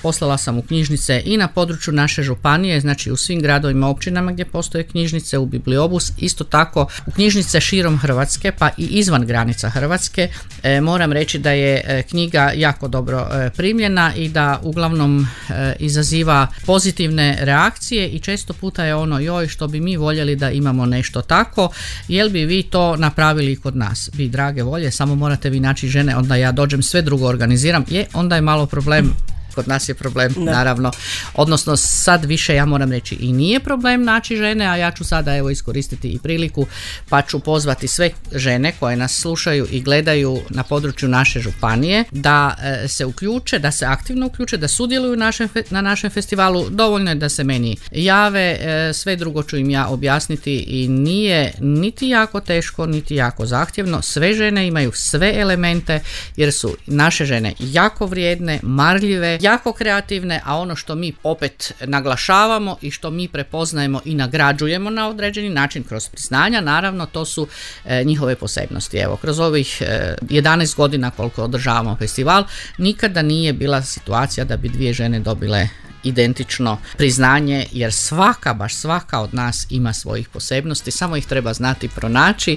Poslala sam u knjižnice i na području naše županije, znači u svim gradovima, općinama gdje postoje knjižnice, u Bibliobus, isto tako u knjižnice širom Hrvatske, pa i izvan granica Hrvatske. Moram reći da je knjiga jako dobro primljena i da uglavnom izaziva pozitivne reakcije i često puta je ono, joj, što bi mi voljeli da imamo nešto tako, jel bi vi to napravili kod nas? Vi drage volje, samo morate vi naći žene, onda ja dođem, sve drugo organiziram, onda je malo problem. Kod nas je problem, naravno, odnosno sad više, ja moram reći, i nije problem naći žene, a ja ću sada evo iskoristiti i priliku pa ću pozvati sve žene koje nas slušaju i gledaju na području naše županije da se uključe, da se aktivno uključe, da sudjeluju na našem festivalu. Dovoljno je da se meni jave, sve drugo ću im ja objasniti i nije niti jako teško, niti jako zahtjevno. Sve žene imaju sve elemente jer su naše žene jako vrijedne, marljive, jako kreativne, a ono što mi opet naglašavamo i što mi prepoznajemo i nagrađujemo na određeni način kroz priznanja, naravno to su njihove posebnosti. Evo, kroz ovih 11 godina koliko održavamo festival, nikada nije bila situacija da bi dvije žene dobile identično priznanje, jer svaka, baš svaka od nas ima svojih posebnosti, samo ih treba znati pronaći